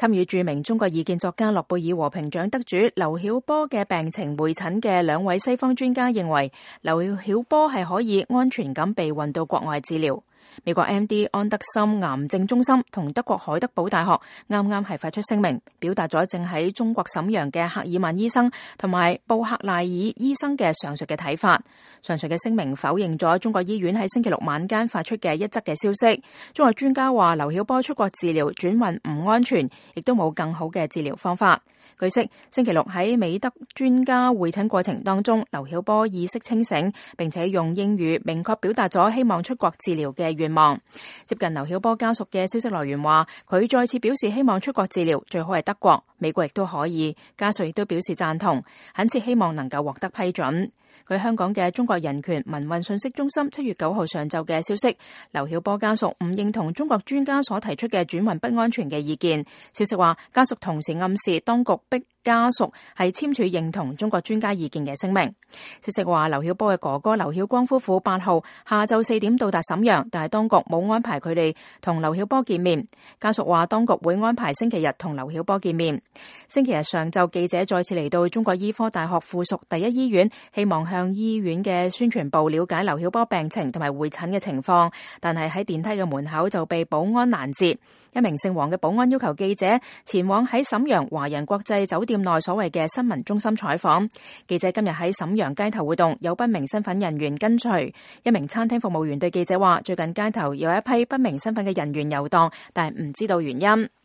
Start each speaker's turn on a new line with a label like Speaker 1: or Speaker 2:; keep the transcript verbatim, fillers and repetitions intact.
Speaker 1: 參與著名中國異見作家諾貝爾和平獎得主劉曉波嘅病情會診嘅兩位西方專家認為，劉曉波係可以安全咁被運到國外治療。美國 M D 安德森癌症中心同德國海德堡大學啱啱係發出聲明，表達咗正喺中國瀋陽嘅赫爾曼醫生同埋布克賴爾醫生嘅上述嘅睇法。上述嘅聲明否認咗中國醫院喺星期六晚間發出嘅一則嘅消息。中國專家話劉曉波出國治療轉運唔安全，亦都冇更好嘅治療方法。據悉，星期六喺美德專家會診過程當中，劉曉波意識清醒，並且用英語明確表達咗希望出國治療嘅願望。接近劉曉波家屬嘅消息來源話，佢再次表示希望出國治療，最好係德國、美國亦都可以。家屬亦都表示贊同，懇切希望能夠獲得批准。據香港嘅中國人權民運信息中心七月九號上晝嘅消息，劉曉波家屬唔認同中國專家所提出嘅轉運不安全嘅意見。消息話，家屬同時暗示當局逼家屬係簽署認同中國專家意見嘅聲明。消息話，劉曉波嘅哥哥劉曉光夫婦八號下晝四點到達瀋陽，但係當局冇安排佢哋同劉曉波見面。家屬話，當局會安排星期日同劉曉波見面。星期日上晝，記者再次嚟到中國醫科大學附屬第一醫院，希望向醫院嘅宣傳部了解劉曉波病情同埋會診嘅情況，但係喺電梯嘅門口就被保安攔截。一名姓黃嘅保安要求記者前往喺瀋陽華人國際酒店內所謂嘅新聞中心採訪。記者今日喺瀋陽街頭活動，有不明身份人員跟隨。一名餐廳服務員對記者話，最近街頭有一批不明身份嘅人員遊蕩，但係唔知道原因。